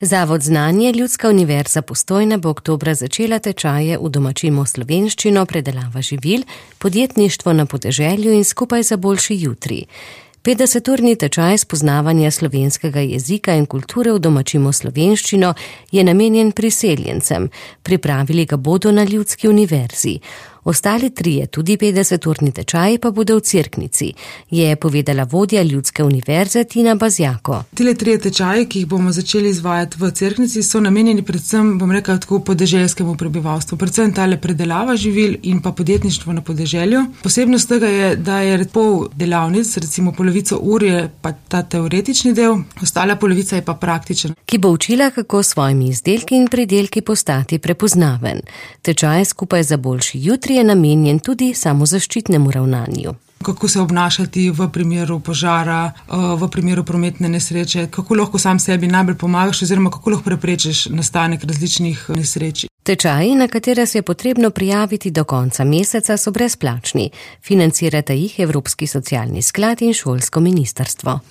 Zavod Znanje, Ljudska univerza Postojna bo oktobra začela tečaje v Domačimo slovenščino, predelava živil, podjetništvo na podeželju in Skupaj za boljši jutri. 50-urni tečaj spoznavanja slovenskega jezika in kulture v Domačimo slovenščino je namenjen priseljencem. Pripravili ga bodo na Ljudski univerzi. Ostali trije, tudi 50-urni tečaji, pa bodo v Cerknici, je povedala vodja Ljudske univerze Tina Bazjako. Tile trije tečaji, ki jih bomo začeli izvajati v Cerknici, so namenjeni predvsem, tako podeželskemu prebivalstvu, predvsem tale predelava živil in pa podjetništvo na podeželju. Posebnost tega je, da je pol delavnic, recimo polovico ur je pa ta teoretični del, ostala polovica je pa praktičen. Ki bo učila, kako s svojimi izdelki in pridelki postati prepoznaven. Tečaj Skupaj za boljši jutri je namenjen tudi samozaščitnemu ravnanju. Kako se obnašati v primeru požara, v primeru prometne nesreče, kako lahko sam sebi najbolj pomagaš oziroma kako lahko preprečiš nastanek različnih nesreč. Tečaji, na katere se je potrebno prijaviti do konca meseca, so brezplačni. Financirata jih Evropski socialni sklad in šolsko ministrstvo.